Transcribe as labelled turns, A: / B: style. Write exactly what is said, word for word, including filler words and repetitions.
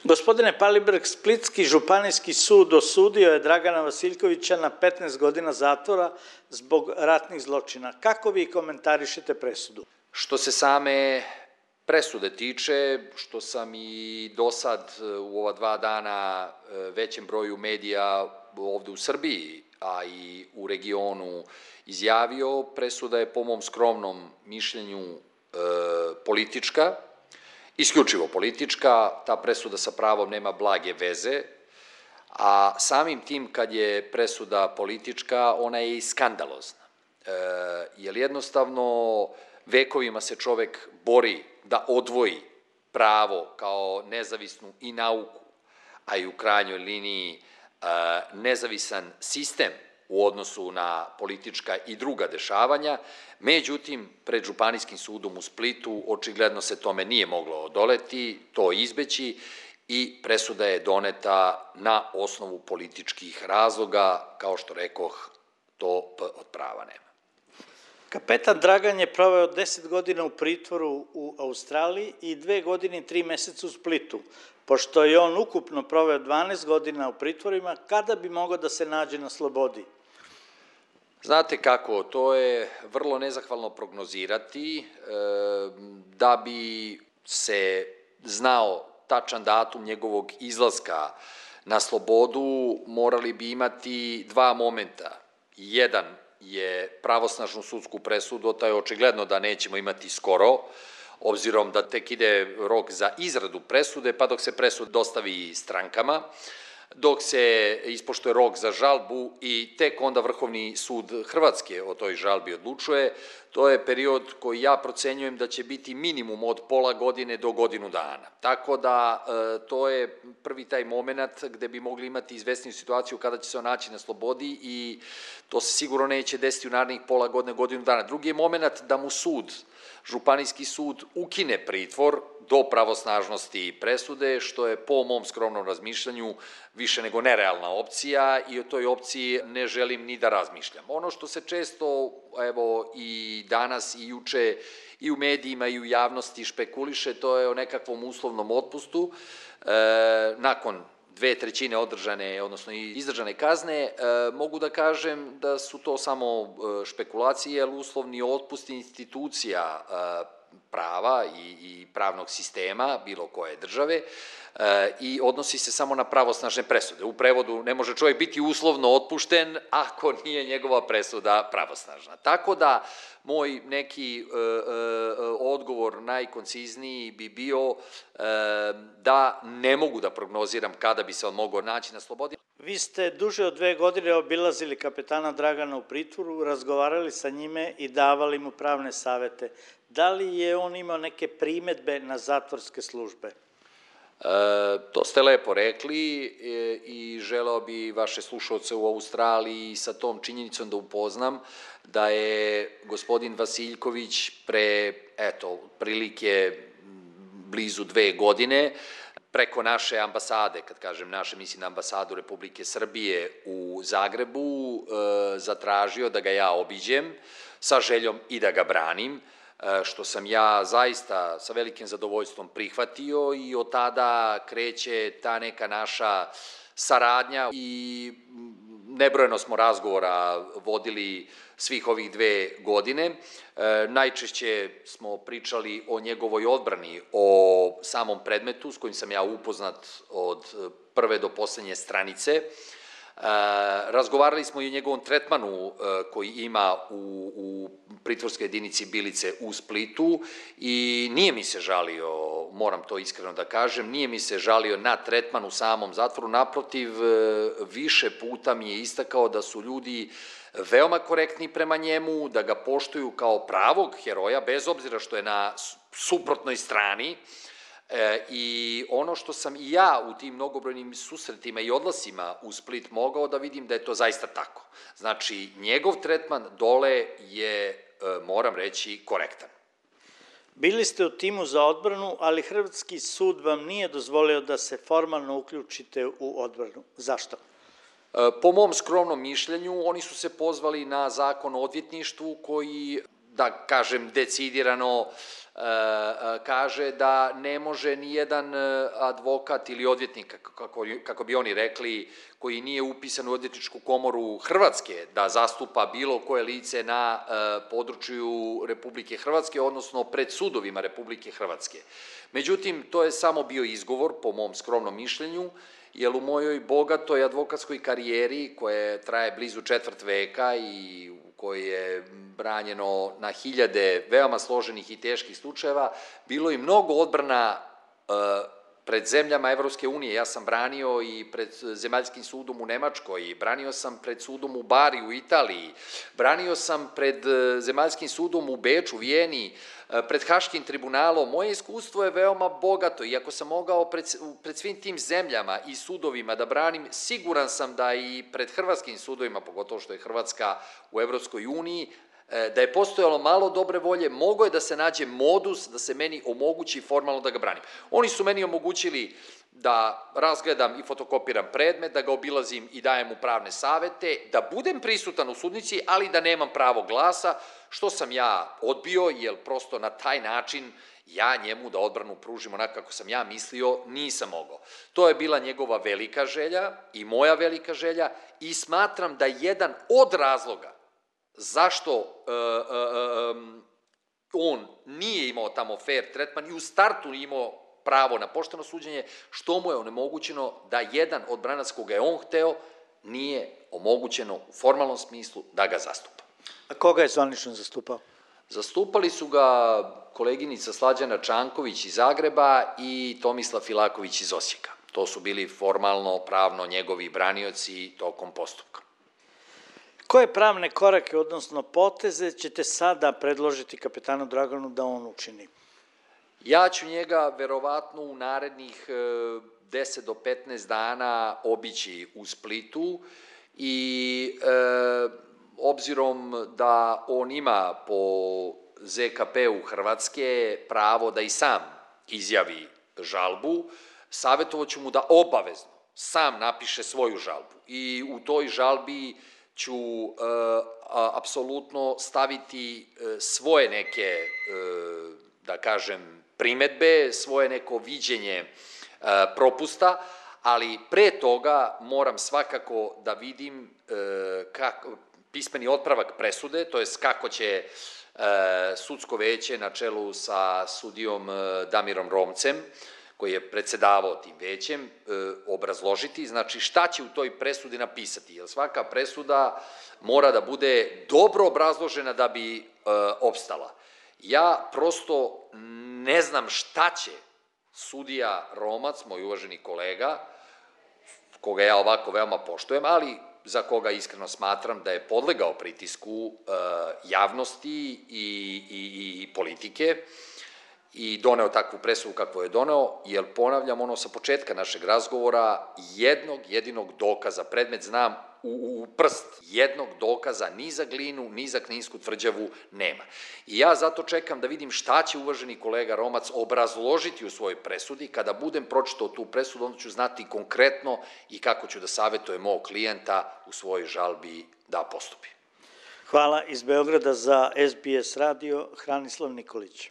A: Gospodine Palibrg, Splitski županijski sud osudio je Dragana Vasiljkovića na petnaest godina zatvora zbog ratnih zločina. Kako vi komentarišete presudu?
B: Što se same presude tiče, što sam i do sad u ova dva dana većem broju medija ovde u Srbiji, a i u regionu izjavio, presuda je po mom skromnom mišljenju e, politička, isključivo politička, ta presuda sa pravom nema blage veze, a samim tim kad je presuda politička, ona je i skandalozna. E, jer jednostavno vekovima se čovek bori da odvoji pravo kao nezavisnu i nauku, a i u krajnjoj liniji e, nezavisan sistem u odnosu na politička i druga dešavanja, međutim, pred Županijskim sudom u Splitu očigledno se tome nije moglo odoleti, to izbeći i presuda je doneta na osnovu političkih razloga, kao što rekoh, to P od prava nema.
A: Kapetan Dragan je proveo deset godina u pritvoru u Australiji i dve godine i tri meseca u Splitu. Pošto je on ukupno proveo dvanaest godina u pritvorima, kada bi mogao da se nađe na slobodi?
B: Znate kako, to je vrlo nezahvalno prognozirati. Da bi se znao tačan datum njegovog izlaska na slobodu, morali bi imati dva momenta. Jedan je pravosnažnu sudsku presudu, to je očigledno da nećemo imati skoro, obzirom da tek ide rok za izradu presude, pa dok se presud dostavi strankama, dok se ispoštuje rok za žalbu i tek onda Vrhovni sud Hrvatske o toj žalbi odlučuje, to je period koji ja procenjujem da će biti minimum od pola godine do godinu dana. Tako da to je prvi taj moment gde bi mogli imati izvesniju situaciju kada će se on naći na slobodi i to se sigurno neće desiti u narednih pola godine, godinu dana. Drugi je moment da mu sud, Županijski sud, ukine pritvor do pravosnažnosti presude, što je po mom skromnom razmišljanju više nego nerealna opcija i o toj opciji ne želim ni da razmišljam. Ono što se često, evo i danas i juče i u medijima i u javnosti špekuliše, to je o nekakvom uslovnom otpustu. E, nakon dve trećine održane, odnosno izdržane kazne, e, mogu da kažem da su to samo špekulacije, jer uslovni otpust institucija e, prava i, i pravnog sistema bilo koje države e, i odnosi se samo na pravosnažne presude. U prevodu ne može čovjek biti uslovno otpušten ako nije njegova presuda pravosnažna. Tako da moj neki e, e, odgovor najkoncizniji bi bio e, da ne mogu da prognoziram kada bi se on mogao naći na slobodi.
A: Vi ste duže od dve godine obilazili kapetana Dragana u pritvoru, razgovarali sa njime i davali mu pravne savete. Da li je on imao neke primetbe na zatvorske službe?
B: E, to ste lepo rekli e, i želeo bi vaše slušalce u Australiji sa tom činjenicom da upoznam da je gospodin Vasiljković pre, eto, prilike blizu dve godine preko naše ambasade, kad kažem naše, mislim na ambasadu Republike Srbije u Zagrebu, e, zatražio da ga ja obiđem sa željom i da ga branim, što sam ja zaista sa velikim zadovoljstvom prihvatio i od tada kreće ta neka naša saradnja i nebrojeno smo razgovora vodili svih ovih dve godine. E, najčešće smo pričali o njegovoj odbrani, o samom predmetu s kojim sam ja upoznat od prve do poslednje stranice. E, razgovarali smo i o njegovom tretmanu e, koji ima u, u pritvorskoj jedinici Bilice u Splitu i nije mi se žalio, moram to iskreno da kažem, nije mi se žalio na tretman u samom zatvoru, naprotiv, više puta mi je istakao da su ljudi veoma korektni prema njemu, da ga poštuju kao pravog heroja, bez obzira što je na suprotnoj strani. E, i ono što sam i ja u tim mnogobrojnim susretima i odlasima u Split mogao da vidim da je to zaista tako. Znači, njegov tretman dole je, e, moram reći, korektan.
A: Bili ste u timu za odbranu, ali Hrvatski sud vam nije dozvolio da se formalno uključite u odbranu. Zašto?
B: E, po mom skromnom mišljenju, oni su se pozvali na zakon o odvjetništvu koji da kažem, decidirano kaže da ne može ni jedan advokat ili odvjetnik, kako, kako bi oni rekli, koji nije upisan u odvjetničku komoru Hrvatske, da zastupa bilo koje lice na području Republike Hrvatske, odnosno pred sudovima Republike Hrvatske. Međutim, to je samo bio izgovor, po mom skromnom mišljenju, jer u mojoj bogatoj advokatskoj karijeri, koja traje blizu četvrt veka i u kojoj je branjeno na hiljade veoma složenih i teških slučajeva, bilo i mnogo odbrana pred zemljama Evropske unije. Ja sam branio i pred Zemaljskim sudom u Nemačkoj, branio sam pred sudom u Bari u Italiji, branio sam pred Zemaljskim sudom u Beču, Vijeni, pred Haškim tribunalom. Moje iskustvo je veoma bogato i ako sam mogao pred, pred svim tim zemljama i sudovima da branim, siguran sam da i pred hrvatskim sudovima, pogotovo što je Hrvatska u Evropskoj uniji, da je postojalo malo dobre volje, mogo je da se nađe modus da se meni omogući formalno da ga branim. Oni su meni omogućili da razgledam i fotokopiram predmet, da ga obilazim i dajem mu pravne savete, da budem prisutan u sudnici, ali da nemam pravo glasa, što sam ja odbio, jer prosto na taj način ja njemu da odbranu pružim onako kako sam ja mislio, nisam mogao. To je bila njegova velika želja i moja velika želja i smatram da jedan od razloga zašto uh, uh, um, on nije imao tamo fair tretman i u startu nije imao pravo na pošteno suđenje, što mu je onemogućeno da jedan od branac koga je on hteo nije omogućeno u formalnom smislu da ga zastupa.
A: A koga je zvanično zastupao?
B: Zastupali su ga koleginica Slađana Čanković iz Zagreba i Tomislav Filaković iz Osijeka. To su bili formalno, pravno njegovi branioci tokom postupka.
A: Koje pravne korake, odnosno poteze, ćete sada predložiti kapetanu Draganu da on učini?
B: Ja ću njega verovatno u narednih deset do petnaest dana obići u Splitu i e, obzirom da on ima po Z K P-u Hrvatske pravo da i sam izjavi žalbu, savjetovaću mu da obavezno sam napiše svoju žalbu i u toj žalbi ću e, apsolutno staviti e, svoje neke, e, da kažem, primetbe, svoje neko viđenje e, propusta, ali pre toga moram svakako da vidim e, kako, pismeni otpravak presude, to jest kako će e, sudsko veće na čelu sa sudijom e, Damirom Romcem, koji je predsedavao tim većem, e, obrazložiti, znači šta će u toj presudi napisati, jer svaka presuda mora da bude dobro obrazložena da bi e, opstala. Ja prosto ne znam šta će sudija Romac, moj uvaženi kolega, koga ja ovako veoma poštujem, ali za koga iskreno smatram da je podlegao pritisku e, javnosti i, i, i politike, i doneo takvu presudu kakvu je doneo, jer ponavljam ono sa početka našeg razgovora, jednog jedinog dokaza, predmet znam u, u prst, jednog dokaza ni za Glinu, ni za Kninsku tvrđavu nema. I ja zato čekam da vidim šta će uvaženi kolega Romac obrazložiti u svojoj presudi. Kada budem pročitao tu presudu, onda ću znati konkretno i kako ću da savjetujem mog klijenta u svojoj žalbi da postupi.
A: Hvala. Iz Beograda za S B S radio, Hranislav Nikolić.